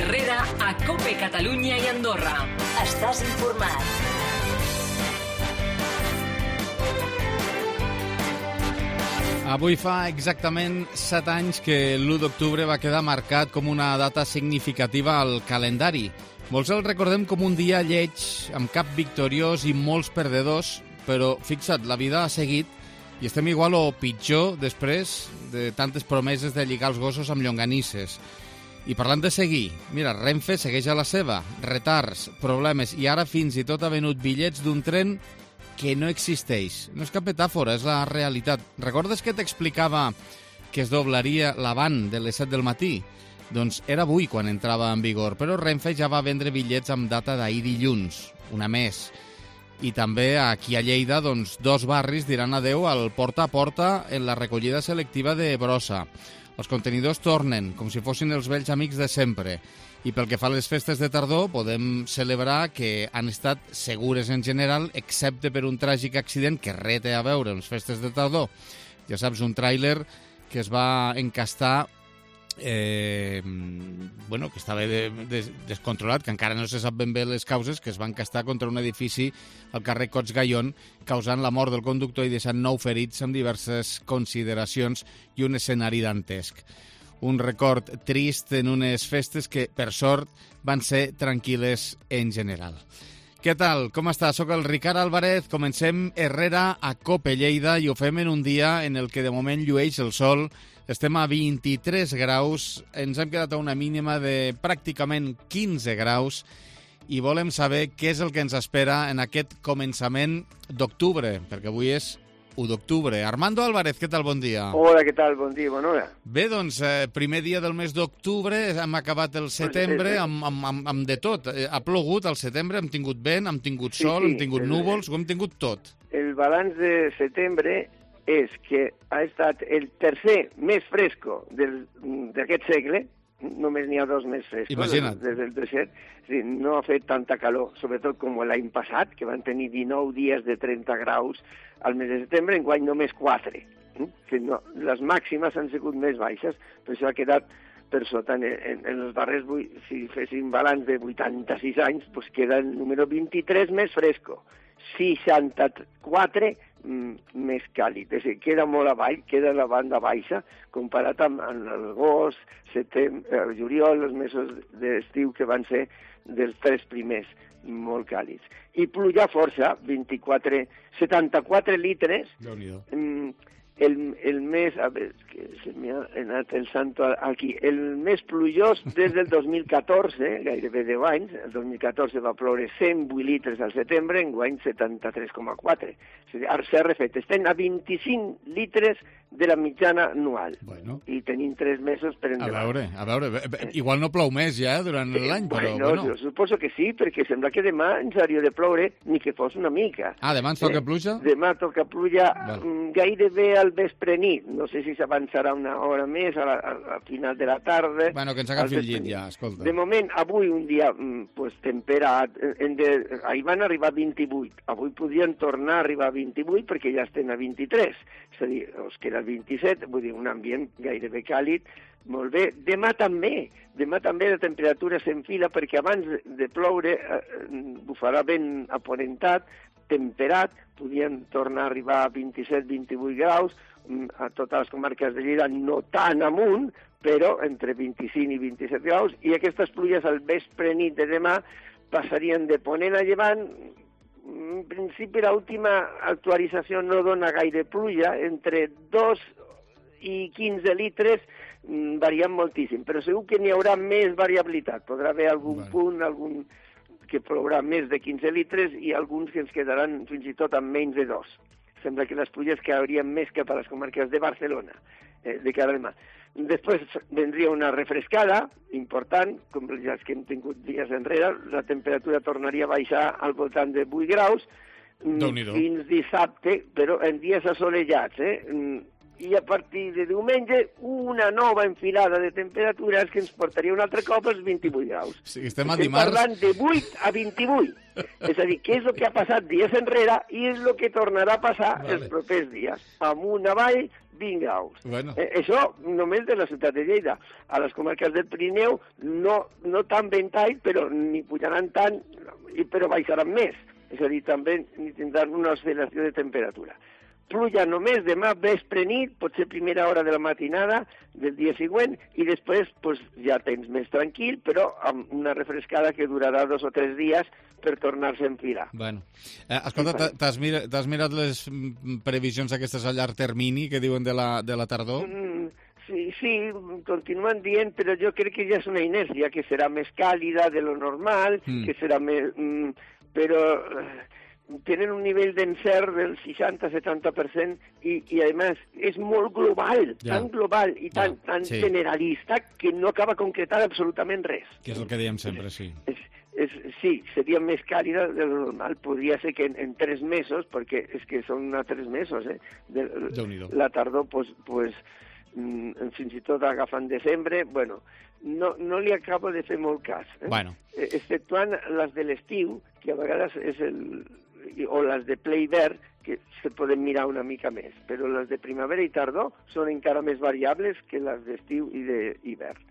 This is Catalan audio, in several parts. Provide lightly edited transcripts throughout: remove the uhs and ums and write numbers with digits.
Herrera a COPE Catalunya i Andorra. Estàs informat. Avui fa exactament 7 anys que l'1 d'octubre va quedar marcat com una data significativa al calendari. Molts el recordem com un dia lleig, amb cap victoriós i molts perdedors, però fixa't, la vida ha seguit i estem igual o pitjor després de tantes promeses de lligar els gossos amb llonganisses. I parlant de seguir, mira, Renfe segueix a la seva, retards, problemes i ara fins i tot ha venut bitllets d'un tren que no existeix. No és cap metàfora, és la realitat. Recordes que t'explicava que es doblaria l'avant de les 7 del matí? Doncs era avui quan entrava en vigor, però Renfe ja va vendre bitllets amb data d'ahir dilluns, una més. I també aquí a Lleida, doncs, 2 barris diran adeu al porta a porta en la recollida selectiva de brossa. Els contenidors tornen, com si fossin els vells amics de sempre. I pel que fa a les festes de tardor, podem celebrar que han estat segures en general, excepte per un tràgic accident que res té a veure amb les festes de tardor. Ja saps, un tràiler que es va encastar, que estava descontrolat, que encara no se sap ben bé les causes, que es va encastar contra un edifici al carrer Cots Gallón, causant la mort del conductor i deixant 9 ferits amb diverses consideracions i un escenari dantesc. Un record trist en unes festes que, per sort, van ser tranquil·les en general. Què tal? Com està? Soc el Ricard Álvarez. Comencem Herrera a COPE Lleida i ho fem en un dia en el que de moment llueix el sol. Estem a 23 graus, ens hem quedat a una mínima de pràcticament 15 graus i volem saber què és el que ens espera en aquest començament d'octubre, perquè avui és 1 d'octubre. Armando Álvarez, què tal? Bon dia. Hola, què tal? Bon dia, bona hora. Bé, doncs, primer dia del mes d'octubre, hem acabat el setembre amb de tot. Ha plogut al setembre, hem tingut vent, hem tingut sol, hem tingut núvols, ho hem tingut tot. El balanç de setembre és que ha estat el tercer més fresco d'aquest segle, només n'hi ha 2 més frescos. Imagina't. Des del 17. Sí, no ha fet tanta calor, sobretot com l'any passat, que van tenir 19 dies de 30 graus al mes de setembre, enguany només 4. Que no, les màximes han sigut més baixes, però això ha quedat per sota. En els darrers, si féssim balanç de 86 anys, doncs queda el número 23 més fresco, 64 més càlid, és a dir, queda molt avall, queda la banda baixa, comparat amb l'agost, juliol, els mesos d'estiu que van ser dels 3 primers, molt càlids. I pluja força, 74 litres, el mes, a veure, que se m'ha anat el santo aquí, el més plujós des del 2014, gairebé 10 anys, el 2014 va ploure 108 litres al setembre, enguany 73,4. Ara s'ha refet, estem a 25 litres de la mitjana anual. Bueno. I tenim 3 mesos per endavant. A veure, igual no plou més ja durant l'any, però bueno. Jo suposo que sí, perquè sembla que demà ens hauria de ploure, ni que fos una mica. Ah, demà ens toca pluja? Demà toca pluja gairebé al vespre nit. No sé si s'avançarà una hora més a final de la tarda. Bueno, que ens agafi el llit ja, escolta. De moment, avui un dia temperat. Ahir van arribar a 28. Avui podien tornar a arribar a 28 perquè ja estem a 23. És a dir, us queda 27, vull dir, un ambient gairebé càlid, molt bé. Demà també la temperatura s'enfila perquè abans de ploure bufarà vent aponentat, temperat, podien tornar a arribar a 27-28 graus, a totes les comarques de Lleida no tan amunt, però entre 25 i 27 graus, i aquestes pluges al vespre nit de demà passarien de ponent a llevant. En principi, l'última actualització no dona gaire pluja, entre 2 i 15 litres varien moltíssim, però segur que n'hi haurà més variabilitat. Podrà haver algun punt, algun que plourà més de 15 litres i alguns que ens quedaran fins i tot amb menys de 2. Sembla que les pluges caurien més cap a les comarques de Barcelona, de cara a demà. Després vendria una refrescada important, com ja que hem tingut dies enrere, la temperatura tornaria a baixar al voltant de 8 graus fins dissabte, però en dies assolellats. i a partir de diumenge una nova enfilada de temperatures que ens portaria un altre cop als 28 graus. Sí, estem dimarts... parlant de 8 a 28. És a dir, què és el que ha passat dies enrere i és el que tornarà a passar els propers dies. Amunt, avall, 20 graus. Bueno. Això només de la ciutat de Lleida. A les comarques del Pirineu no tan ventall, però ni pujaran tant, però baixaran més. És a dir, també ni tindran una oscil·lació de temperatura. Pluja només demà vespre nit, potser primera hora de la matinada del dia següent, i després pues, ja tens més tranquil, però amb una refrescada que durarà 2 o 3 dies per tornar-se a enfilar. Bueno. Escolta, t'has mirat les previsions aquestes a llarg termini que diuen de la tardor? Sí, continuen dient, però jo crec que ja és una inèrcia, que serà més càlida de lo normal, que serà més... però tenen un nivell d'encert del 60-70% i a més, és molt global, tan global i tan generalista que no acaba concretant absolutament res. Que és el que diem sempre, sí. Sí, seria més càlida de lo normal. Podria ser que en 3 mesos, perquè és que són 3 mesos, la tardor, pues, fins i tot agafant desembre, bueno, no li acabo de fer molt cas. Bueno. Exceptuant les de l'estiu, que a vegades és o les de ple hivern, que se poden mirar una mica més, però les de primavera i tardor són encara més variables que les d'estiu i d'hivern.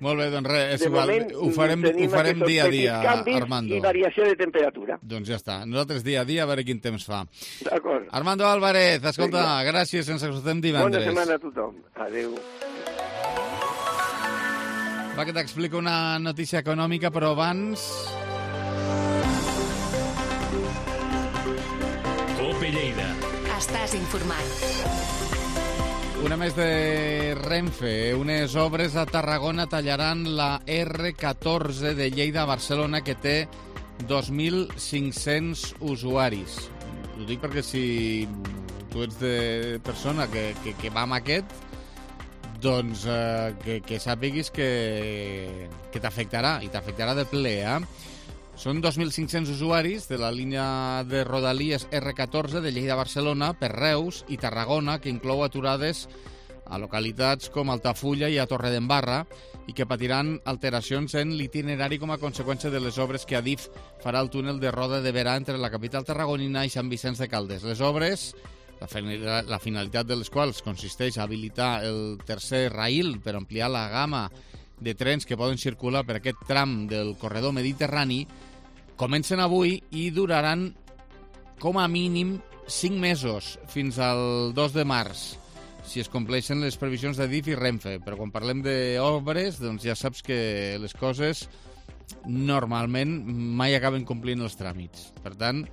Molt bé, doncs res, és igual, ho farem dia a dia, Armando. I variació de temperatura. Doncs ja està, nosaltres dia a dia a veure quin temps fa. D'acord. Armando Álvarez, escolta, gràcies, ens escoltem divendres. Bona setmana a tothom, adeu. Va, que t'explico una notícia econòmica, però abans... Cope Lleida. Estàs informat. Una més de Renfe. Unes obres a Tarragona tallaran la R14 de Lleida a Barcelona, que té 2.500 usuaris. Ho dic perquè si tu ets de persona que va amb aquest, doncs que sàpiguis que t'afectarà, i t'afectarà de ple, Són 2.500 usuaris de la línia de Rodalies R14 de Lleida a Barcelona per Reus i Tarragona, que inclou aturades a localitats com Altafulla i a Torredembarra, i que patiran alteracions en l'itinerari com a conseqüència de les obres que Adif farà al túnel de Roda de Berà entre la capital tarragonina i Sant Vicenç de Calders. Les obres, la finalitat de les quals consisteix a habilitar el tercer raïl per ampliar la gamma de trens que poden circular per aquest tram del corredor mediterrani, comencen avui i duraran com a mínim 5 mesos, fins al 2 de març, si es compleixen les previsions d'Adif i Renfe. Però quan parlem d'obres, doncs ja saps que les coses normalment mai acaben complint els tràmits. Per tant,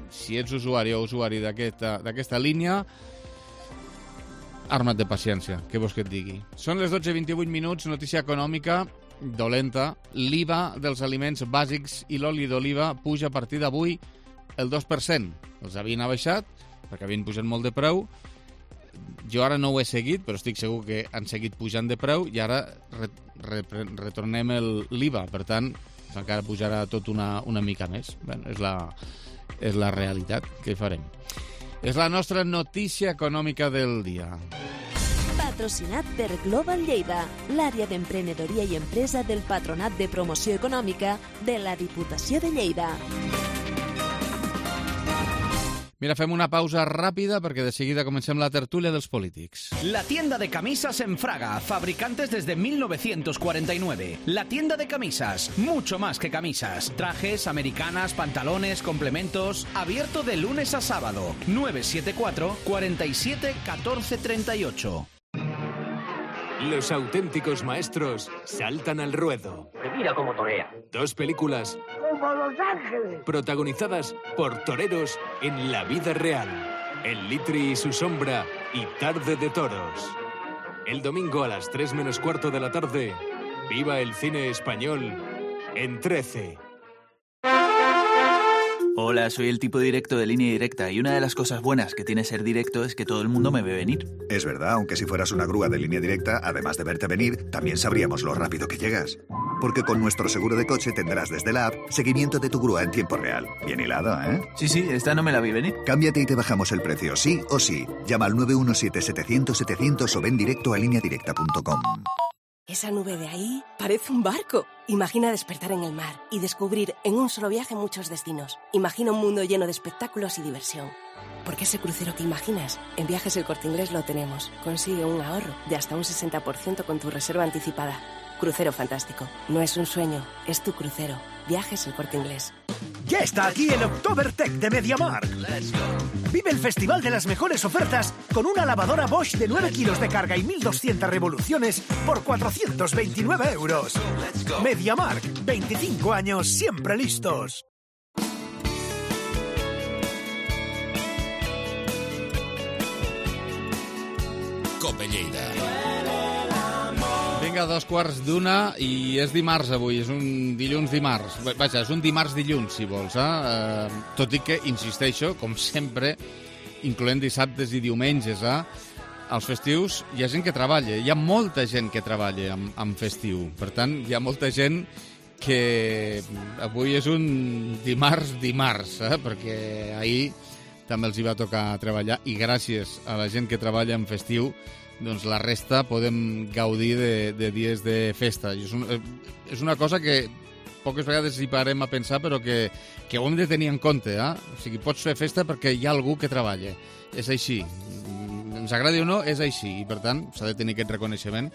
si ets usuari o usuari d'aquesta línia, arma't de paciència, què vols que et digui. Són les 12:28 minuts, notícia econòmica dolenta. L'IVA dels aliments bàsics i l'oli d'oliva puja a partir d'avui el 2%. Els havien abaixat perquè havien pujat molt de preu. Jo ara no ho he seguit, però estic segur que han seguit pujant de preu i ara retornem l'IVA. Per tant, encara pujarà tot una mica més. Bé, és la realitat. Què farem? És la nostra notícia econòmica del dia. Patrocinat per Global Lleida, l'àrea d'emprenedoria i empresa del Patronat de Promoció Econòmica de la Diputació de Lleida. Mira, fem una pausa ràpida perquè de seguida comencem la tertúlia dels polítics. La tienda de camisas en Fraga, fabricantes desde 1949. La tienda de camisas, mucho más que camisas. Trajes, americanas, pantalones, complementos. Abierto de lunes a sábado. 974 47 14 38. Los auténticos maestros saltan al ruedo. Mira cómo torea. 2 películas Como Los Ángeles. protagonizadas por toreros en la vida real. El Litri y su sombra y Tarde de Toros. El domingo a las 3 menos cuarto de la tarde, viva el cine español en 13. Hola, soy el tipo directo de Línea Directa y una de las cosas buenas que tiene ser directo es que todo el mundo me ve venir. Es verdad, aunque si fueras una grúa de Línea Directa, además de verte venir, también sabríamos lo rápido que llegas. porque con nuestro seguro de coche tendrás desde la app seguimiento de tu grúa en tiempo real. Bien hilado, ¿eh? Sí, esta no me la vi venir. Cámbiate y te bajamos el precio, sí o sí. Llama al 917-700-700 o ven directo a lineadirecta.com. Esa nube de ahí parece un barco. Imagina despertar en el mar y descubrir en un solo viaje muchos destinos. Imagina un mundo lleno de espectáculos y diversión. Porque ese crucero que imaginas, en Viajes El Corte Inglés lo tenemos. Consigue un ahorro de hasta un 60% con tu reserva anticipada. Crucero fantástico. No es un sueño, es tu crucero. Viajes El Corte Inglés. Ya está aquí el Oktobertech de MediaMarkt. Vive el festival de las mejores ofertas con una lavadora Bosch de 9 kilos de carga y 1.200 revoluciones por 429 euros. MediaMarkt, 25 años siempre listos. Cope Lleida. Vinga, 2:15 i és dimarts avui, és un dilluns-dimarts. Vaja, és un dimarts-dilluns, si vols, tot i que, insisteixo, com sempre, incloent dissabtes i diumenges, als festius hi ha gent que treballa, hi ha molta gent que treballa en festiu. Per tant, hi ha molta gent que avui és un dimarts, perquè ahir també els hi va tocar treballar i gràcies a la gent que treballa en festiu doncs la resta podem gaudir de dies de festa. I és una cosa que poques vegades hi parem a pensar, però que ho hem de tenir en compte. O sigui, pots fer festa perquè hi ha algú que treballa. És així. Ens agradi o no, és així. I, per tant, s'ha de tenir aquest reconeixement.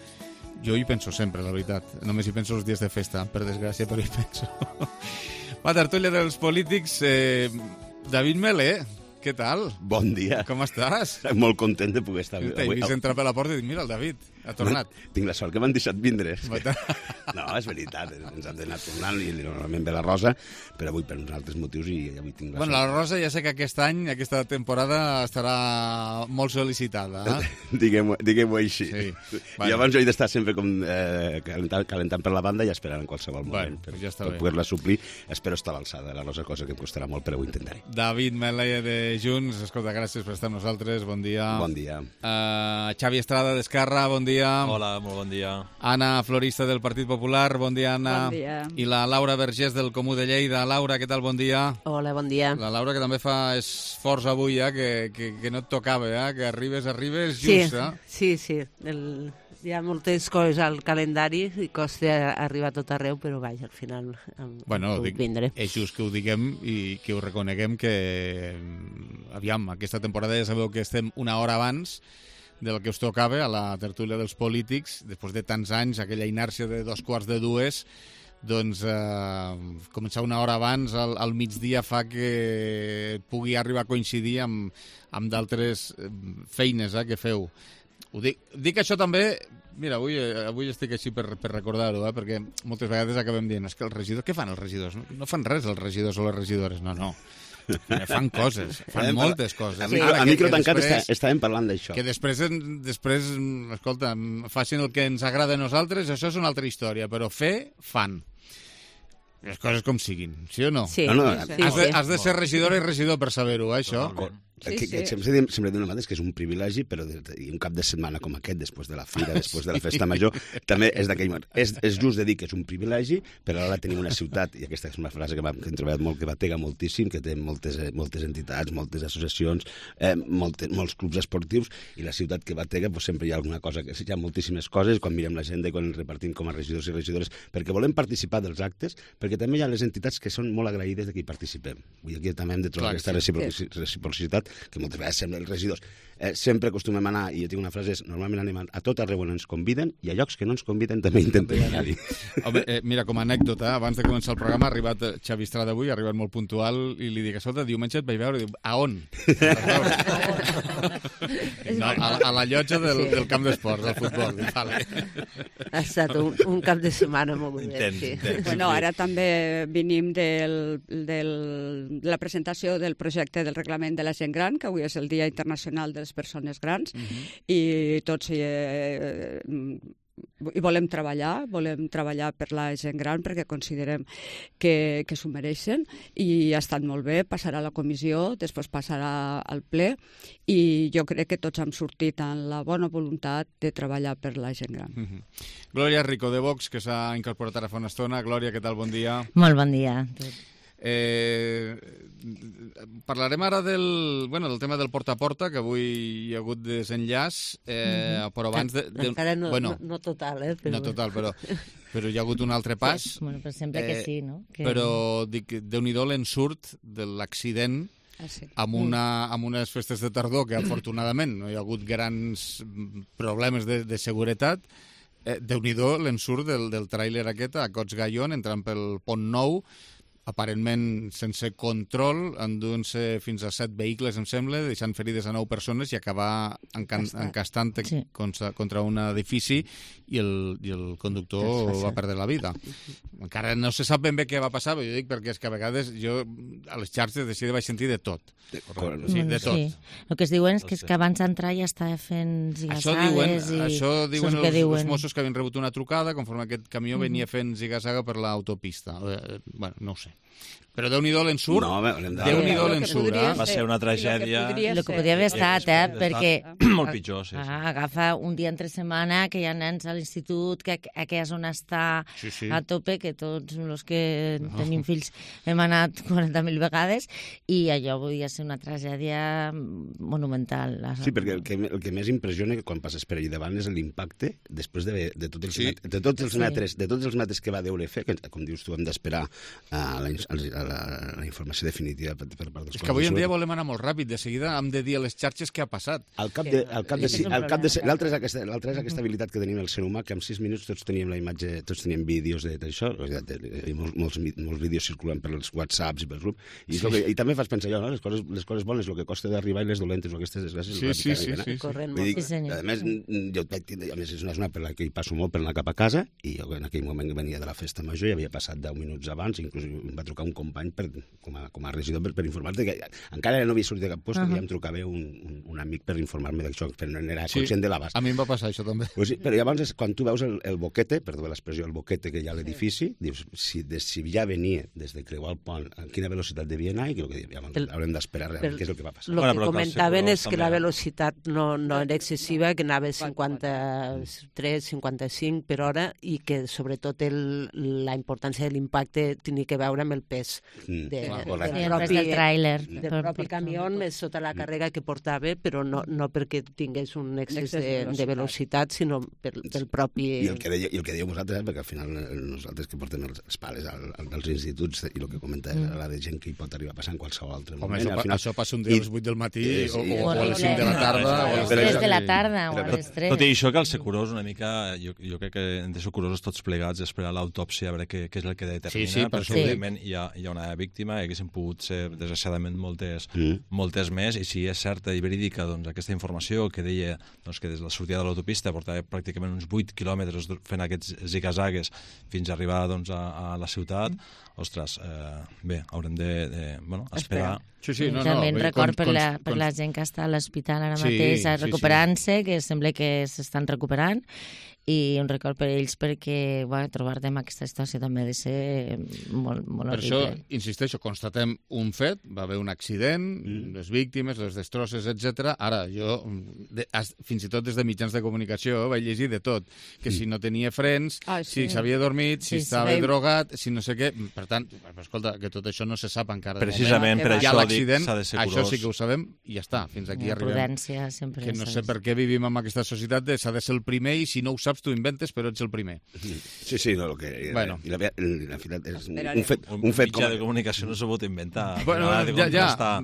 Jo hi penso sempre, la veritat. Només hi penso els dies de festa, per desgràcia, però hi penso. Va, tertúlia dels polítics. David Melé, què tal? Bon dia. Com estàs? Molt content de poder estar avui. T'he vist entrar per la porta i dic, mira, el David ha tornat. Tinc la sort que m'han deixat vindre. No, és veritat, ens hem d'anar tornant i normalment ve la Rosa, però avui per uns altres motius i avui tinc la sort. La Rosa ja sé que aquest any, aquesta temporada, estarà molt sol·licitada. Diguem-ho així. Sí. I abans jo he d'estar sempre com calentant per la banda i esperant en qualsevol moment per poder-la suplir. Espero estar a l'alçada de la Rosa, cosa que em costarà molt, però ho intentaré. David Melé de Junts, escolta, gràcies per estar amb nosaltres, bon dia. Bon dia. Xavi Estrada d'Esquerra, bon dia. Hola, molt bon dia. Anna Florista del Partit Popular, bon dia, Anna. Bon dia. I la Laura Vergés del Comú de Lleida. Laura, què tal, bon dia? Hola, bon dia. La Laura que també fa esforç avui, que no et tocava, que arribes just. Sí. Hi ha moltes coses al calendari i costa arribar a tot arreu, però vaja, al final puc vindre. És just que ho diguem i que ho reconeguem que, aviam, aquesta temporada ja sabeu que estem una hora abans del que us tocava a la tertúlia dels polítics, després de tants anys, aquella inèrcia de 2:45, doncs començar una hora abans al migdia fa que pugui arribar a coincidir amb d'altres feines que feu. Dic això també, mira, avui estic així per recordar-ho, perquè moltes vegades acabem dient, és que els regidors, què fan els regidors? No fan res els regidors o les regidores, no. Fan coses, fan moltes coses. A micro tancat estàvem parlant d'això. Que després, escolta, facin el que ens agrada a nosaltres, això és una altra història, però fan. Les coses com siguin, sí o no? Sí. Has de ser regidora i regidor per saber-ho, això? Sempre diu una vegada que és un privilegi, però un cap de setmana com aquest, després de la fira, després de la festa major, també és d'aquell moment. És just de dir que és un privilegi, però ara tenim una ciutat, i aquesta és una frase que hem treballat molt, que batega moltíssim, que té moltes entitats, moltes associacions, molts clubs esportius, i la ciutat que batega sempre hi ha alguna cosa, hi ha moltíssimes coses, quan mirem l'agenda i quan ens repartim com a regidors i regidores, perquè volem participar dels actes, perquè també hi ha les entitats que són molt agraïdes de que hi participem. Aquí també hem de trobar aquesta reciprocitat que moltes vegades sembla els regidors. Sempre acostumem a anar, i jo tinc una frase, normalment anem a tot arreu on ens conviden, i a llocs que no ens conviden també intentem anar-hi. Mira, com a anècdota, abans de començar el programa ha arribat Xavi Estrada avui, ha arribat molt puntual, i li dic, escolta, diumenge et vaig veure, i diu, a on? A la llotja del camp d'esports, del futbol. Ha estat un cap de setmana molt bé. Bueno, ara també venim de la presentació del projecte del reglament de la gent gran, que avui és el Dia Internacional de les Persones Grans, i tots i volem treballar per la gent gran perquè considerem que s'ho mereixen, i ha estat molt bé, passarà a la comissió, després passarà al ple, i jo crec que tots hem sortit amb la bona voluntat de treballar per la gent gran. Glòria Rico, de Vox, que s'ha incorporat ara fa una estona. Glòria, què tal? Bon dia. Molt bon dia. Parlarem ara del tema del porta a porta, que avui hi ha hagut desenllaç, però abans... Encara no total, però... No total, però hi ha hagut un altre pas. Sí, bueno, però sembla que sí, no? Però dic, Déu-n'hi-do l'ensurt de l'accident amb unes festes de tardor que, afortunadament, no hi ha hagut grans problemes de seguretat. Déu-n'hi-do l'ensurt del tràiler aquest a Cots Gallon, entrant pel Pont Nou, aparentment sense control, enduent-se fins a 7 vehicles, em sembla, deixant ferides a 9 persones i acabar encastant contra un edifici i el conductor va perdre la vida. Encara no se sap ben bé què va passar, però jo dic perquè és que a vegades jo a les xarxes de vaig sentir de tot. De tot. Sí. El que es diuen és que abans d'entrar ja estava fent zigasades. Això diuen els Mossos, que havien rebut una trucada conforme aquest camió venia fent zigazaga per l'autopista. Bueno, no ho sé. Però Déu-n'hi-do l'ensurt. Déu-n'hi-do l'ensurt. Va ser una tragèdia. El que podria haver estat, perquè... Molt pitjor, sí. Agafa un dia entre setmana que hi ha nens a l'institut, que aquella zona està a tope, que tots els que tenim fills hem anat 40.000 vegades, i allò podia ser una tragèdia monumental. Sí, perquè el que més impressiona quan passes per allà davant és l'impacte després de tots els metres que va deure fer, que, com dius tu, hem d'esperar la informació definitiva per part dels... És que avui en dia volem anar molt ràpid, de seguida hem de dir a les xarxes què ha passat. L'altre és aquesta habilitat que tenim el ser humà, que en 6 minuts tots teníem la imatge, tots teníem vídeos d'això, molts vídeos circulant per els whatsapps i per grup, i també fas pensar allò, les coses bones, el que costa d'arribar i les dolentes, aquestes desgràcies... Sí. Corrent molt. A més, és una zona per la que hi passo molt per anar cap a casa, i jo en aquell moment venia de la festa major i havia passat 10 minuts abans, inclús em va trucar un company com a regidor per informar-te que encara no havia sortit de cap post, i em trucava un amic per informar-me d'això, però no era conscient de l'abast. A mi em va passar això també. Però llavors, quan tu veus el boquete, perdó l'expressió, el boquete que hi ha a l'edifici, dius, si ja venia des de creuar el pont, a quina velocitat devia anar, i haurem d'esperar realment què és el que va passar. El que comentaven és que la velocitat no era excessiva, que anava 53, 55 per hora, i que sobretot la importància de l'impacte tenia que veure amb el pes del tràiler, del propi camió, més sota la càrrega que portava, però no perquè tingués un excés de velocitat, sinó pel propi... I el que dèieu vosaltres, perquè al final nosaltres que portem els pares dels instituts i el que comentàvem la de gent que hi pot arribar a passar en qualsevol altre moment. Això passa un dia a les 8 del matí o a les 5 de la tarda. O a les 3 de la tarda o a les 3. Tot i això, que el ser curós una mica, jo crec que hem de ser curosos tots plegats, esperar l'autòpsia, a veure què és el que determina, però segurament hi ha una víctima, i haguessin pogut ser, desgraciadament, moltes més, i si és certa i verídica aquesta informació que deia que des de la sortida de l'autopista portava pràcticament uns 8 quilòmetres fent aquests zigazagues fins a arribar a la ciutat, ostres, bé, haurem d'esperar. També en record per la gent que està a l'hospital ara mateix recuperant-se, que sembla que s'estan recuperant, i un record per ells perquè trobar-te en aquesta situació també ha de ser molt horrible. Per això, insisteixo, constatem un fet, va haver un accident, les víctimes, les destrosses, etc. Ara, jo, fins i tot des de mitjans de comunicació, vaig llegir de tot, que si no tenia frens, si s'havia dormit, si estava drogat, si no sé què... Per tant, escolta, que tot això no se sap encara. Precisament per això dic, s'ha de ser curós. Això sí que ho sabem i ja està, fins aquí arribem. Prudència sempre. Que no sé per què vivim en aquesta societat s'ha de ser el primer i si no ho saps tu inventes, però ets el primer. Sí, no, el que... Bueno. I la veritat és un fet mitjà de comunicació no s'ha pogut inventar. Bueno, ja.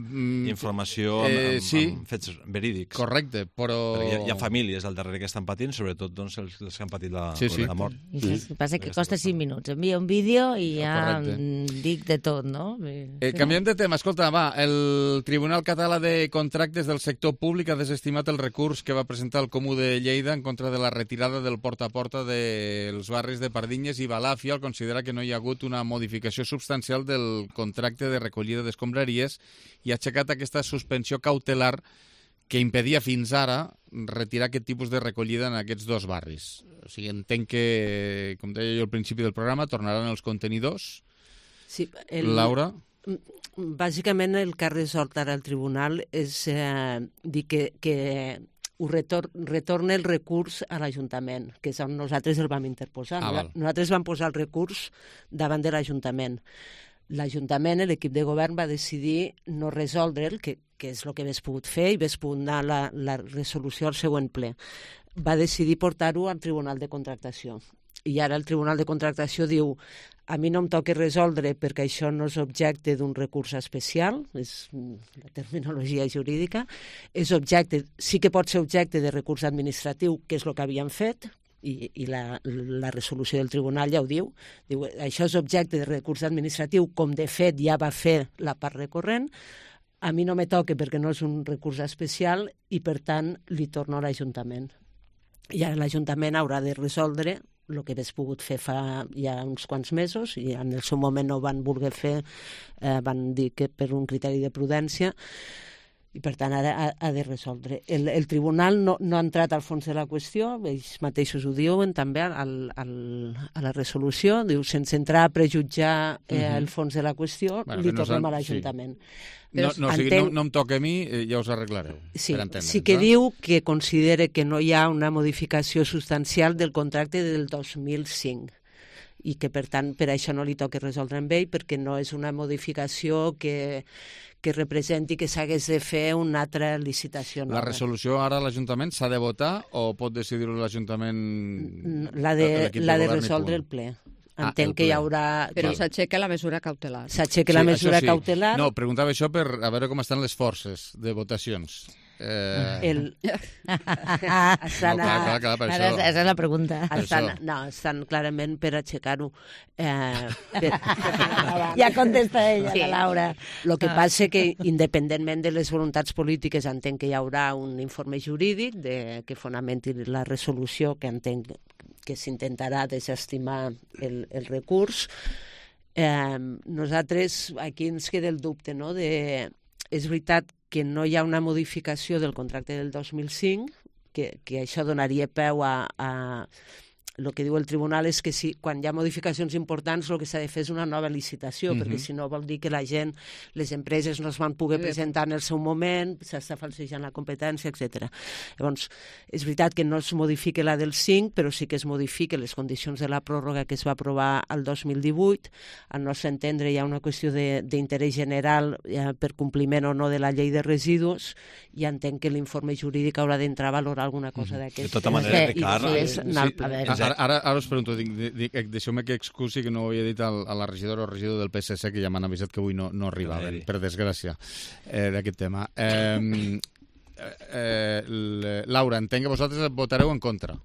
Informació amb fets verídics. Correcte, però... Hi ha famílies al darrere que estan patint, sobretot els que han patit la mort. El que passa que costa 5 minuts. Envia un vídeo i ja dic de tot, no? Canviem de tema. Escolta, el Tribunal Català de Contractes del Sector Públic ha desestimat el recurs que va presentar el Comú de Lleida en contra de la retirada del porta a porta dels barris de Pardinyes i Balàfia, al considerar que no hi ha hagut una modificació substancial del contracte de recollida d'escombraries i ha aixecat aquesta suspensió cautelar que impedia fins ara retirar aquest tipus de recollida en aquests dos barris. O sigui, entenc que, com deia jo al principi del programa, tornaran els contenidors. Sí, Laura? Bàsicament el que ha resolt ara el tribunal és dir que retorna el recurs a l'Ajuntament, que és on nosaltres el vam interposar. Nosaltres vam posar el recurs davant de l'Ajuntament. L'Ajuntament, l'equip de govern, va decidir no resoldre'l, que és el que hagués pogut fer, i hagués pogut anar la resolució al següent ple. Va decidir portar-ho al Tribunal de Contractació. I ara el Tribunal de Contractació diu: a mi no em toca resoldre perquè això no és objecte d'un recurs especial, és la terminologia jurídica, sí que pot ser objecte de recurs administratiu, que és el que havien fet, i la resolució del tribunal ja ho diu, això és objecte de recurs administratiu, com de fet ja va fer la part recorrent, a mi no me toca perquè no és un recurs especial i per tant li torno a l'Ajuntament. I ara l'Ajuntament haurà de resoldre el que hagués pogut fer fa ja uns quants mesos, i en el seu moment no ho van voler fer, van dir que per un criteri de prudència, i per tant ara ha de resoldre. El tribunal no ha entrat al fons de la qüestió, ells mateixos ho diuen també a la resolució, diu, sense entrar a prejutjar el fons de la qüestió, li tornem a l'Ajuntament. No em toca a mi, ja us arreglareu. Sí que diu que considera que no hi ha una modificació substancial del contracte del 2005 i que, per tant, per això no li toca resoldre amb ell, perquè no és una modificació que representi que s'hagués de fer una altra licitació nova. La resolució ara a l'Ajuntament s'ha de votar o pot decidir-ho l'Ajuntament? L'ha de resoldre el ple. Entenc que hi haurà... Però s'aixeca la mesura cautelar. S'aixeca la mesura cautelar. No, preguntava això per a veure com estan les forces de votacions. Esa és la pregunta. Estan clarament per aixecar-ho. Ja contesta ella, la Laura. El que passa que, independentment de les voluntats polítiques, entenc que hi haurà un informe jurídic que fonamenti la resolució, que entenc que s'intentarà desestimar el recurs. Nosaltres, aquí ens queda el dubte, no?, és veritat que no hi ha una modificació del contracte del 2005, que això donaria peu a... El que diu el tribunal és que quan hi ha modificacions importants el que s'ha de fer és una nova licitació, perquè si no vol dir que la gent, les empreses no es van poder presentar en el seu moment, s'està falsejant la competència, etc. Llavors, és veritat que no es modifica la del 5, però sí que es modifiquen les condicions de la pròrroga que es va aprovar el 2018. Al nostre entendre hi ha una qüestió d'interès general per compliment o no de la llei de residus, i entenc que l'informe jurídic haurà d'entrar a valorar alguna cosa d'aquesta. De tota manera, Ricard... Ara us pregunto, deixeu-me que excusi que no ho havia dit a la regidora o regidor del PSC, que ja m'han avisat que avui no arribaven, per desgràcia, d'aquest tema. Laura, entenc que vosaltres votareu en contra.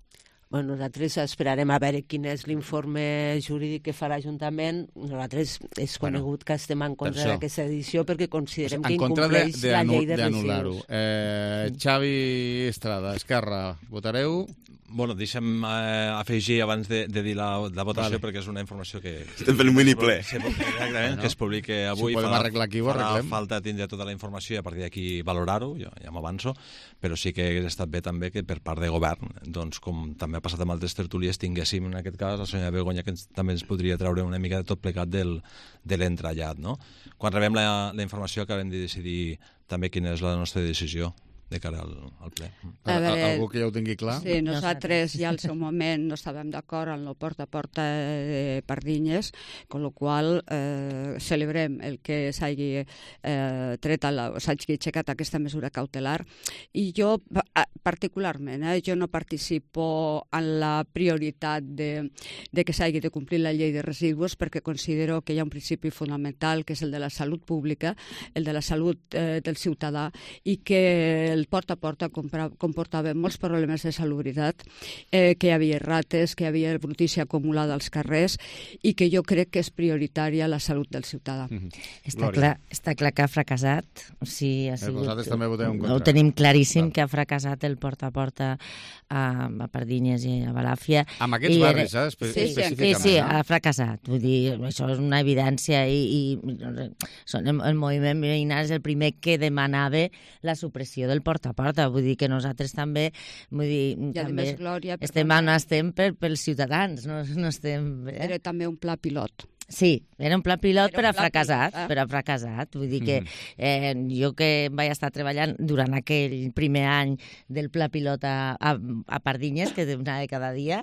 Nosaltres esperarem a veure quin és l'informe jurídic que farà l'Ajuntament. Nosaltres és conegut que estem en contra d'aquesta edició perquè considerem que incompleix la llei de residus. Xavi Estrada, Esquerra, votareu? Bueno, deixa'm afegir abans de dir la votació, perquè és una informació que... Estem fent un mini-ple. Exactament, que es publiqui avui. Si ho podem arreglar aquí, ho arreglem. Farà falta tindre tota la informació i a partir d'aquí valorar-ho, ja m'avanço, però sí que hauria estat bé també que per part de govern, doncs com també ha passat amb altres tertúlies, tinguéssim en aquest cas la senyora Begoña, que també ens podria treure una mica de tot plegat de l'entrellat, no? Quan rebem la informació acabem de decidir també quina és la nostra decisió de cara al ple. Algú que ja ho tingui clar? Sí, nosaltres ja al seu moment no estàvem d'acord amb el porta a porta de Pardinyes, amb la qual celebrem el que s'hagi s'hagi aixecat aquesta mesura cautelar. I jo, particularment, jo no participo en la prioritat de que s'hagi de complir la llei de residus, perquè considero que hi ha un principi fonamental, que és el de la salut pública, el de la salut del ciutadà, i que el porta a porta comportava molts problemes de salubritat, que hi havia rates, que hi havia brutícia acumulada als carrers, i que jo crec que és prioritària la salut del ciutadà. Està clar que ha fracassat. Vosaltres també voteu en contra. Ho tenim claríssim, que ha fracassat el porta a porta a Pardinyes i a Balàfia. Amb aquests barris, específicament. Sí, ha fracassat. Vull dir, això és una evidència, i el moviment veïnal és el primer que demanava la supressió del porta a porta. Vull dir que nosaltres també, estem pels ciutadans, no estem... Era també un pla pilot. Sí, era un pla pilot, però ha fracassat. Vull dir que jo que vaig estar treballant durant aquell primer any del pla pilot a Pardinyes, que anava cada dia,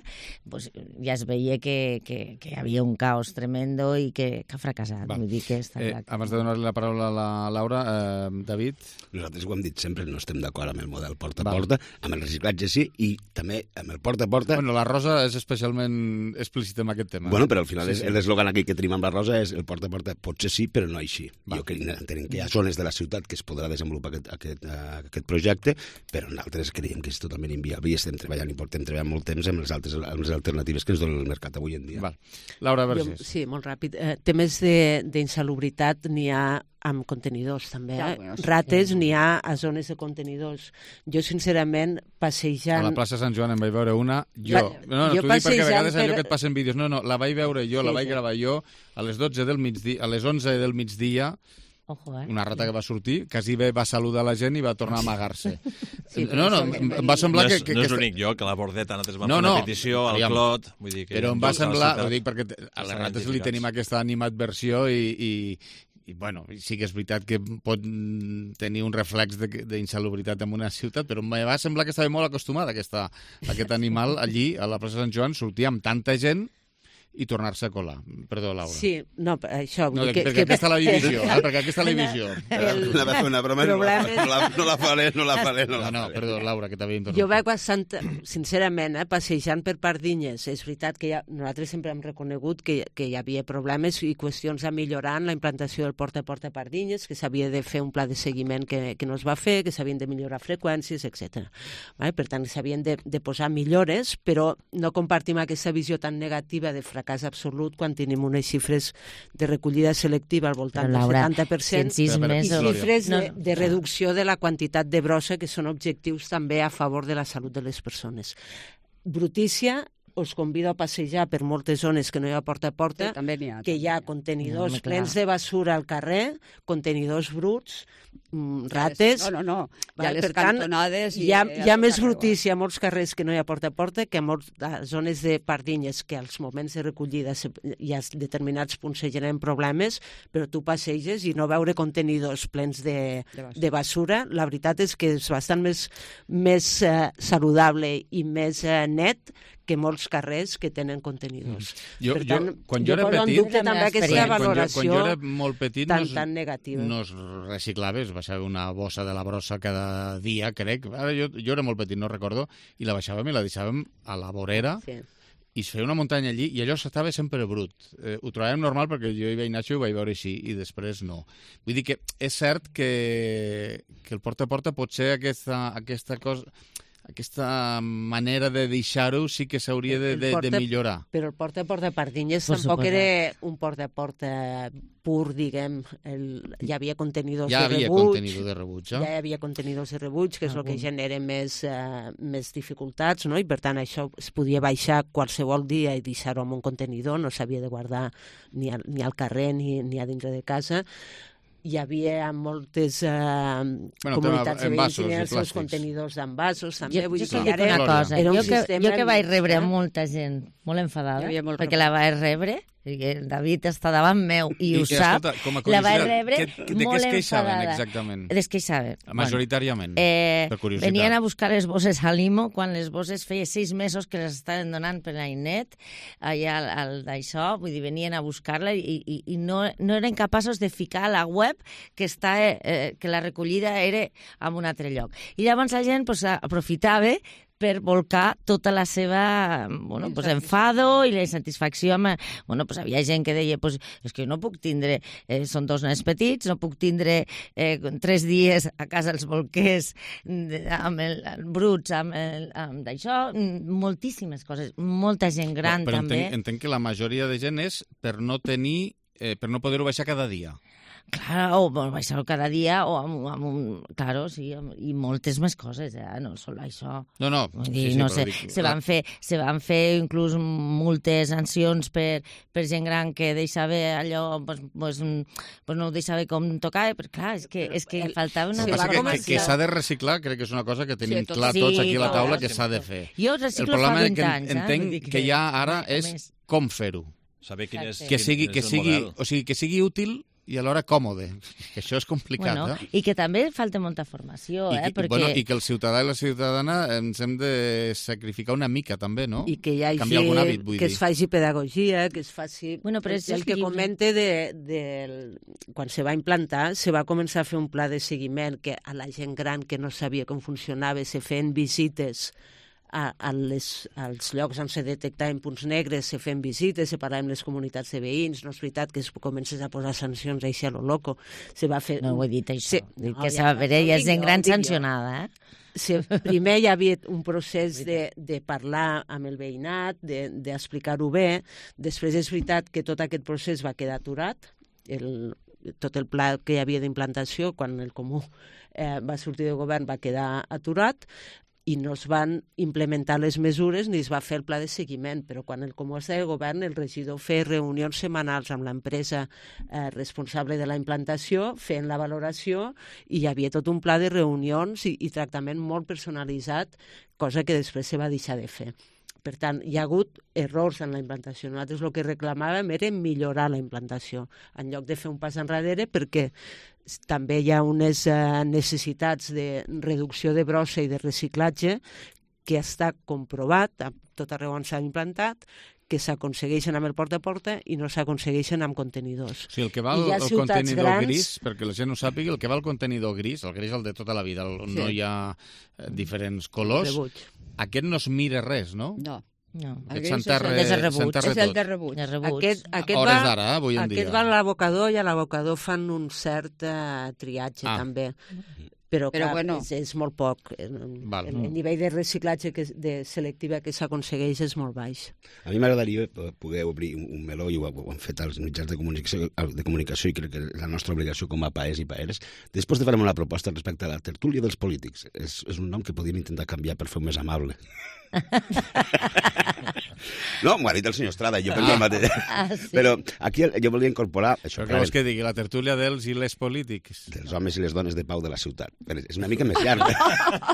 pues, ja es veia que hi havia un caos tremendo i que ha fracassat. Vull dir que està clar. Abans de donar-li la paraula a la Laura, David? Nosaltres ho hem dit sempre, no estem d'acord amb el model porta-a-porta, amb el reciclatge sí, i també amb el porta-a-porta... Bueno, la Rosa és especialment explícita en aquest tema. Bueno, però al final l'eslògan aquí que tenim amb la Rosa és el porta-a-porta potser sí, però no així. Jo crec que hi ha zones de la ciutat que es podrà desenvolupar aquest projecte, però nosaltres creiem que és totalment inviable i estem treballant i portem treballant molt temps amb les alternatives que ens dona el mercat avui en dia. Laura Vergés. Sí, molt ràpid. Temes d'insalubritat n'hi ha amb contenidors, també. Rates n'hi ha a zones de contenidors. Jo, sincerament, passejant... A la plaça Sant Joan en vaig veure una, jo. No, t'ho dic perquè a vegades allò que et passen vídeos. No, la vaig veure jo, la vaig gravar jo a les 12 del migdia, a les 11 del migdia, una rata que va sortir, quasi bé va saludar la gent i va tornar a amagar-se. No, em va semblar que... No és l'únic lloc, que la Bordeta nosaltres vam fer una petició al Clot, vull dir que... Però em va semblar, ho dic perquè a les rates li tenim aquesta animadversió i bueno, sí que és veritat que pot tenir un reflex d'insalubritat en una ciutat, però em va semblar que estava molt acostumat a aquest animal allí, a la plaça Sant Joan, sortia amb tanta gent i tornar-se a colar. Perdó, Laura. Sí, no, això... No, perquè aquesta és la divisió, perquè aquesta és la divisió. Va fer una broma, no la faré. No, perdó, Laura, que t'havia interromput. Jo vaig bastant, sincerament, passejant per Pardinyes. És veritat que nosaltres sempre hem reconegut que hi havia problemes i qüestions a millorar en la implantació del porta-a-porta a Pardinyes, que s'havia de fer un pla de seguiment que no es va fer, que s'havien de millorar freqüències, etc. Per tant, s'havien de posar millores, però no compartim aquesta visió tan negativa de fracàs absolut quan tenim unes xifres de recollida selectiva al voltant del 70% i xifres de reducció de la quantitat de brossa, que són objectius també a favor de la salut de les persones. Brutícia, us convido a passejar per moltes zones que no hi ha porta-a-porta, que hi ha contenidors plens de basura al carrer, contenidors bruts, rates... No. Hi ha les cantonades... Hi ha més brutícia a molts carrers que no hi ha porta-a-porta que a zones de Pardinyes, que als moments de recollida hi ha determinats punts que generen problemes, però tu passeges i no veure contenidors plens de basura. La veritat és que és bastant més saludable i més net que molts carrers que tenen contenidors. Per tant, quan jo era poso en dubte també aquesta valoració quan jo era molt petit tan negativa. No es reciclava, es baixava una bossa de la brossa cada dia, crec. Ara jo era molt petit, no recordo, i la baixàvem i la deixàvem a la vorera, i es feia una muntanya allí, i allò estava sempre brut. Ho trobàvem normal perquè jo hi vaig néixer i ho vaig veure així, i després no. Vull dir que és cert que el porta-a-porta potser aquesta cosa... Aquesta manera de deixar-ho sí que s'hauria de millorar. Però el porta-a-porta a Pardinyes tampoc era un porta-a-porta pur, diguem. Hi havia contenidors de rebuig. Ja hi havia contenidors de rebuig, que és el que genera més dificultats, no? I per tant això es podia baixar qualsevol dia i deixar-ho en un contenidor, no s'havia de guardar ni al carrer ni a dintre de casa. Hi havia moltes comunitats de veïns que els seus contenidors d'envasos també. Jo dic una cosa, jo que vaig rebre molta gent molt enfadada, perquè la vaig rebre, perquè David està davant meu i ho sap, la vaig rebre molt enfadada. Exactament? Es queixaven. Majoritàriament, per curiositat. Venien a buscar les bosses a Limo, quan les bosses feia 6 mesos que les estaven donant per l'Ainet, allà d'això, vull dir, venien a buscar-la i no eren capaços de ficar a la web que la recollida era en un altre lloc. I llavors la gent aprofitava per volcar tota la seva enfado i la insatisfacció. Havia gent que deia és que no puc tindre, són 2 nens petits, no puc tindre 3 dies a casa els bolquers amb bruts, amb d'això, moltíssimes coses, molta gent gran també. Però entenc que la majoria de gent és per no poder-ho baixar cada dia. Clar, o baixar-ho cada dia, claro, sí, i moltes més coses, no sol això. No sé, se van fer inclús moltes sancions per gent gran que deixava allò, no ho deixava com tocar, però clar, és que faltava una cosa. Que s'ha de reciclar, crec que és una cosa que tenim clar tots aquí a la taula que s'ha de fer. Jo reciclo fa 20 anys. El problema que entenc que hi ha ara és com fer-ho. Saber quin és que sigui model. O sigui, que sigui útil i alhora còmode, que això és complicat. Bueno, i que també falta molta formació, perquè... I que el ciutadà i la ciutadana ens hem de sacrificar una mica, també, no? I que hi hagi canviar algun hàbit, vull dir. Que es faci pedagogia, que es faci... Bueno, però el que comente quan se va implantar, se va començar a fer un pla de seguiment que a la gent gran que no sabia com funcionava, se feien visites als llocs on se detectaven punts negres, se feien visites, se parlaven les comunitats de veïns, no és veritat que es comences a posar sancions així a lo loco. Se va fer... No ho he dit, això. Dic que s'ha de veure gent gran sancionada, Primer hi havia un procés de parlar amb el veïnat, d'explicar-ho bé. Després és veritat que tot aquest procés va quedar aturat. Tot el pla que hi havia d'implantació, quan el Comú va sortir del govern, va quedar aturat, i no es van implementar les mesures ni es va fer el pla de seguiment, però quan el Comú estava de govern, el regidor feia reunions setmanals amb l'empresa responsable de la implantació, fent la valoració, i hi havia tot un pla de reunions i tractament molt personalitzat, cosa que després se va deixar de fer. Per tant, hi ha hagut errors en la implantació. Nosaltres el que reclamàvem era millorar la implantació, en lloc de fer un pas enrere, perquè també hi ha unes necessitats de reducció de brossa i de reciclatge que està comprovat a tot arreu on s'ha implantat, que s'aconsegueixen amb el porta a porta i no s'aconsegueixen amb contenidors. Sí, el que va el contenidor gris, perquè la gent ho sàpiga, el que va el contenidor gris, el gris el de tota la vida, no hi ha diferents colors, aquest no es mira res, no? No. Aquest s'enterra tot. És el de rebuig. Hores d'ara, avui en dia. Aquest va a l'abocador i a l'abocador fan un cert triatge, també. Però clar, bueno, és molt poc. El nivell de reciclatge selectiva que s'aconsegueix és molt baix. A mi m'agradaria poder obrir un meló, i ho han fet els mitjans de comunicació, i crec que és la nostra obligació com a paers i paeres. Després de farem una proposta respecte a la tertúlia dels polítics. És un nom que podríem intentar canviar per fer-ho més amable. No, m'ho ha dit el senyor Estrada, jo penso el mateix. Sí. Però aquí jo volia incorporar... Això, però què vols que digui? La tertúlia dels i les polítics? Dels homes i les dones de pau de la ciutat. És una mica més llarg.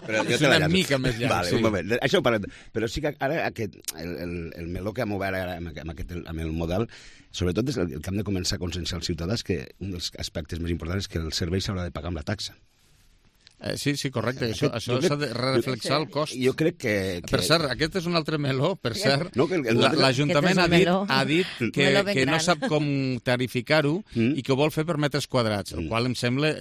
Però és una mica més llarg, vale, sí. Un moment. Això ho parlem. Però sí que ara el meló que hem obert ara amb el model, sobretot és el que hem de començar a conscienciar els ciutadans, que un dels aspectes més importants és que el servei s'haurà de pagar amb la taxa. Sí, correcte. Això s'ha de reflexar el cost. Jo crec que... Per cert, aquest és un altre meló, per cert. L'Ajuntament ha dit que no sap com tarificar-ho i que ho vol fer per metres quadrats, el qual em sembla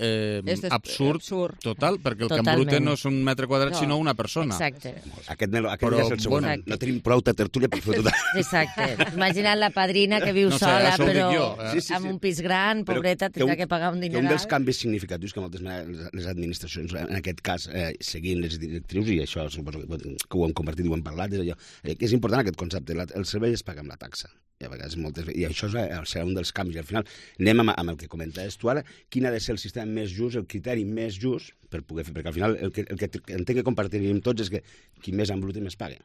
absurd total, perquè el Camp Brute no és un metre quadrat, sinó una persona. Exacte. Aquest ja és el segon. No tenim prou tertúlia per fer tot. Exacte. Imagina't la padrina que viu sola, però amb un pis gran, pobreta, tindrà que pagar un dineral. Un dels canvis significatius que moltes les administracions, en aquest cas, seguint les directrius, i això suposo que ho hem compartit i ho hem parlat, és allò, que és important aquest concepte, el servei es paga amb la taxa. I això serà un dels canvis. I al final anem amb el que comentaves tu ara, quin ha de ser el sistema més just, el criteri més just per poder fer, perquè al final el que entenc que compartiríem tots és que qui més embruta més paga.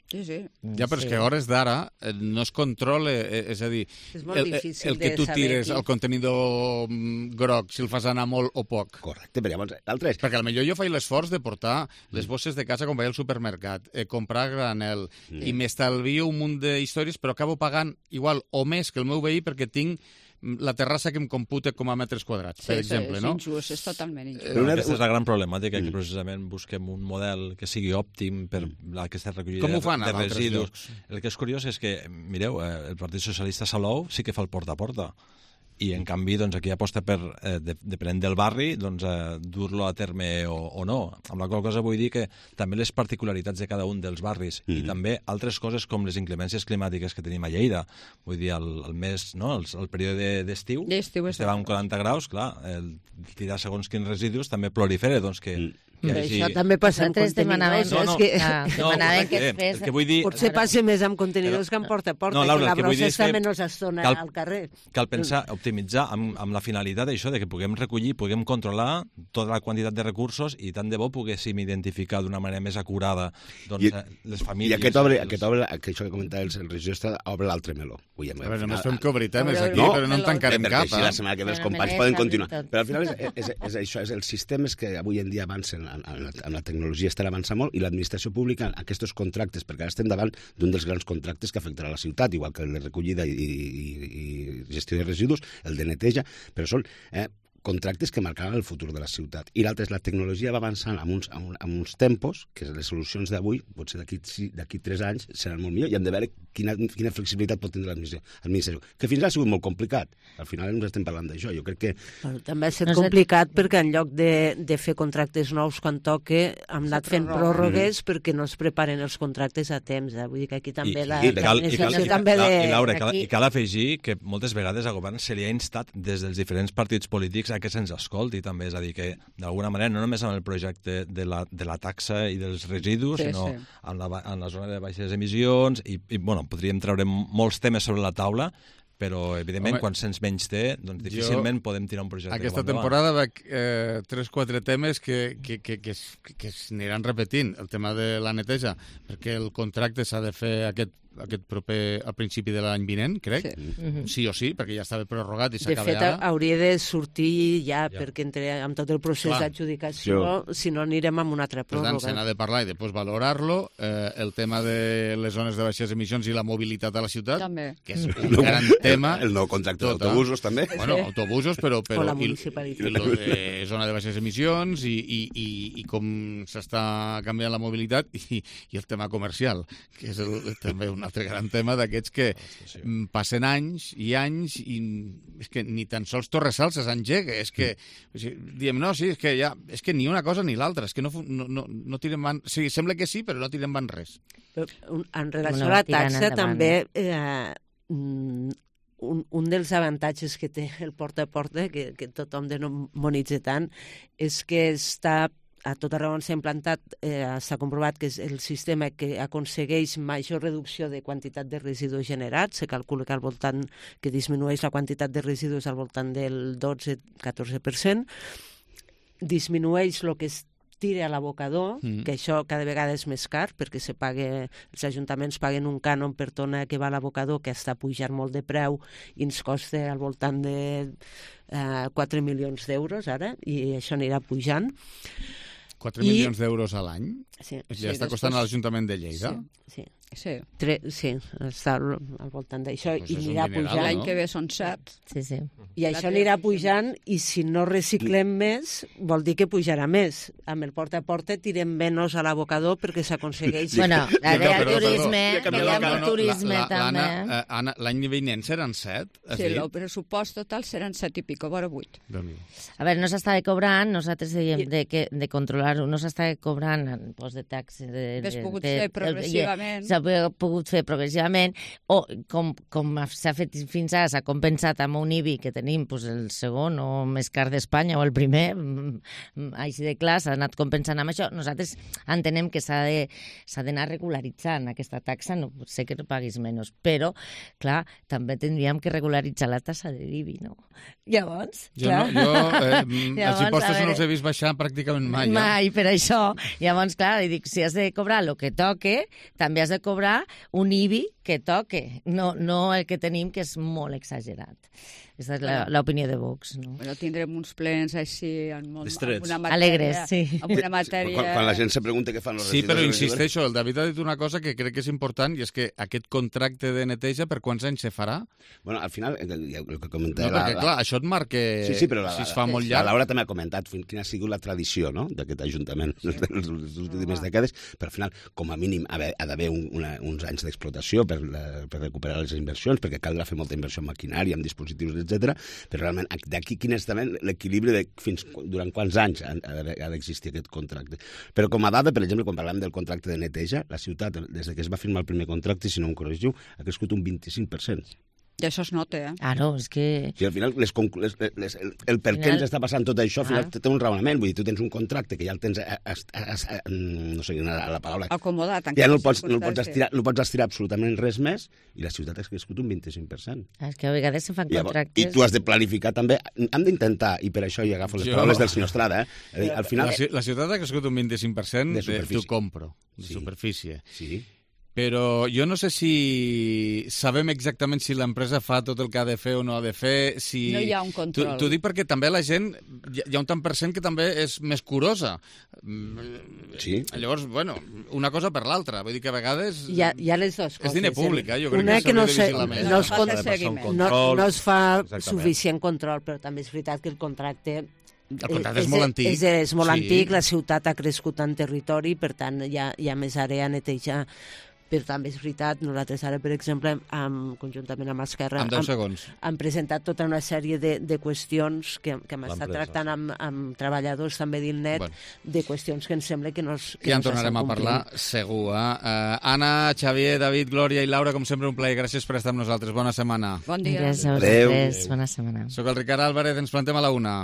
Sí. Ja, però és que a hores d'ara no es controla, és a dir, el que tu tires al contenidor groc, si el fas anar molt o poc. Correcte, però llavors l'altre és... Perquè potser jo faig l'esforç de portar les bosses de casa quan vaig al supermercat, comprar granel, i m'estalvio un munt d'històries, però acabo pagant igual o més que el meu veí perquè tinc la terrassa que em computa com a metres quadrats, per exemple, no? És injust, és totalment injust. Aquesta és la gran problemàtica, que precisament busquem un model que sigui òptim per aquesta recollida de residus. El que és curiós és que, mireu, el Partit Socialista Salou sí que fa el porta a porta, i en canvi aquí aposta per, depenent del barri, dur-lo a terme o no. Amb la qual cosa vull dir que també les particularitats de cada un dels barris i també altres coses com les inclemències climàtiques que tenim a Lleida. Vull dir, el període d'estiu, estem amb 40 graus, clar, tirar segons quins residus també prolifera, doncs que... Això també passa amb contenidors. Potser passa més amb contenidors que amb porta a porta, que la brossa està menys estona al carrer. Cal pensar, optimitzar amb la finalitat d'això, que puguem recollir, puguem controlar tota la quantitat de recursos i tant de bo poguéssim identificar d'una manera més acurada les famílies. I aquest obre, això que comentava el regidor, obre l'altre meló. A veure, només fem que obrir temes aquí, però no en tancarem cap. Perquè així la setmana que ve els companys poden continuar. Però al final és això, els sistemes que avui en dia avancen la tecnologia estarà avançant molt i l'administració pública, aquests contractes, perquè ara estem davant d'un dels grans contractes que afectarà la ciutat, igual que el de recollida i gestió de residus, el de neteja, però són contractes que marcaran el futur de la ciutat. I l'altre és la tecnologia va avançant amb uns tempos que les solucions d'avui, potser d'aquí 3 anys, seran molt millor i hem de veure quina flexibilitat pot tindre l'administració. Que fins ara ha sigut molt complicat. Al final ens estem parlant d'això. Jo crec que... També ha estat complicat perquè en lloc de fer contractes nous quan toque, hem anat fent pròrrogues perquè no es preparen els contractes a temps. Vull dir que aquí també I cal afegir que moltes vegades al govern se li ha instat des dels diferents partits polítics que se'ns escolti també, és a dir, que d'alguna manera no només amb el projecte de la taxa i dels residus, sinó en la zona de baixes emissions i bueno, podríem treure molts temes sobre la taula, però evidentment quan se'ns menys té, doncs difícilment podem tirar un projecte. Aquesta temporada veig 3-4 temes que s'aniran repetint. El tema de la neteja, perquè el contracte s'ha de fer aquest proper al principi de l'any vinent, crec. Sí o sí, perquè ja estava prorrogat i s'acaba ara. De fet, hauria de sortir ja, perquè amb tot el procés d'adjudicació, si no anirem amb una altra pròrroga. Per tant, se n'ha de parlar i després valorar-lo. El tema de les zones de baixes emissions i la mobilitat a la ciutat, que és un gran tema. El nou contracte d'autobusos, també. Bueno, autobusos, però... O la municipalitat. I lo de zona de baixes emissions i com s'està canviant la mobilitat i el tema comercial, que és també un altre gran tema d'aquests que passen anys i anys i és que ni tan sols Torresalses engega, és que diem, no, sí, és que ni una cosa ni l'altra, és que no tirem van... Sí, sembla que sí, però no tirem van res. En relació a la taxa, també un dels avantatges que té el porta a porta, que tothom demonitza tant, és que està a tot arreu on s'ha implantat, s'ha comprovat que és el sistema que aconsegueix major reducció de quantitat de residus generats. Se calcula que al voltant que disminueix la quantitat de residus al voltant del 12-14%. Disminueix el que es tira a l'abocador, que això cada vegada és més car, perquè els ajuntaments paguen un cànon per tona que va a l'abocador, que està pujant molt de preu i ens costa al voltant de 4 milions d'euros ara, i això anirà pujant. 4 milions d'euros a l'any? Sí. Ja està costant a l'Ajuntament de Lleida? Sí. Està al voltant d'això i anirà pujant. L'any que ve són 7. Sí. I això anirà pujant i si no reciclem més vol dir que pujarà més. Amb el porta a porta tirem menys a l'abocador perquè s'aconsegueix... Bueno, el turisme també. Anna, l'any vinent seran 7? Sí, el pressupost total seran 7 i pico, vora 8. A veure, no s'estava cobrant, nosaltres dèiem de controlar-ho, no s'estava cobrant el post de taxes... Hauria pogut fer progressivament. S'ha pogut fer progressivament, o com s'ha fet fins ara, s'ha compensat amb un IBI que tenim el segon o més car d'Espanya o el primer, així de clar, s'ha anat compensant amb això. Nosaltres entenem que s'ha d'anar regularitzant aquesta taxa, no pot ser que no paguis menys, però, clar, també tindríem que regularitzar la tassa de IBI, no? Llavors, clar... Els impostos no els he vist baixar pràcticament mai. Mai, per això. Llavors, clar, dic, si has de cobrar el que toque, també has de cobrar un IBI que toque, no el que tenim, que és molt exagerat. Aquesta és l'opinió de Vox, no? Bueno, tindrem uns plens així amb una matèria... Alegres, sí. Amb una matèria... Quan la gent se pregunta què fan els residus... Sí, però insisteixo, el David ha dit una cosa que crec que és important, i és que aquest contracte de neteja, per quants anys se farà? Bueno, al final, el que comentava... No, perquè, clar, això et marca... Sí, però si es fa molt llarg... La Laura també ha comentat quina ha sigut la tradició, no?, d'aquest Ajuntament les últimes dècades, però al final, com a mínim, ha d'haver uns anys d'explotació per recuperar les inversions, perquè caldrà fer molta inversió en maquinària, en dispositius, etc. Però realment, d'aquí quin és també l'equilibri de durant quants anys ha d'existir aquest contracte. Però com a dada, per exemple, quan parlem del contracte de neteja, la ciutat, des que es va firmar el primer contracte, si no em corregiu, ha crescut un 25%. I això es nota, Ah, no, és que... Sí, al final, el per què ens està passant tot això, al final té un raonament. Vull dir, tu tens un contracte que ja el tens, no sé la paraula... Acomodat. Ja no el pots estirar absolutament res més i la ciutat ha crescut un 25%. És que a vegades se fan contractes... I tu has de planificar també... Hem d'intentar, i per això hi agafo les paraules del senyor Estrada, al final... La ciutat ha crescut un 25% de tu compro, de superfície. Sí. Però jo no sé si sabem exactament si l'empresa fa tot el que ha de fer o no ha de fer. Si... No hi ha un control. T'ho dic perquè també la gent, hi ha un tant per cent que també és més curosa. Sí. Llavors, bueno, una cosa per l'altra. Vull dir que a vegades... Hi ha les dues coses. És diner públic, jo crec una que s'hauria de vigilar més. No es fa suficient control, però també és veritat que el contracte... El contracte és molt antic. És molt antic, la ciutat ha crescut en territori, per tant hi ha més àrea a netejar. Però també és veritat, nosaltres ara, per exemple, conjuntament amb Esquerra, hem presentat tota una sèrie de qüestions que hem estat tractant amb treballadors també d'ILNET, de qüestions que ens sembla que no ja en tornarem a parlar, segur. Anna, Xavier, David, Glòria i Laura, com sempre, un plaer. Gràcies per estar amb nosaltres. Bona setmana. Bon dia. Gràcies a vosaltres. Bona setmana. Soc el Ricard Álvarez, ens plantem a la 1.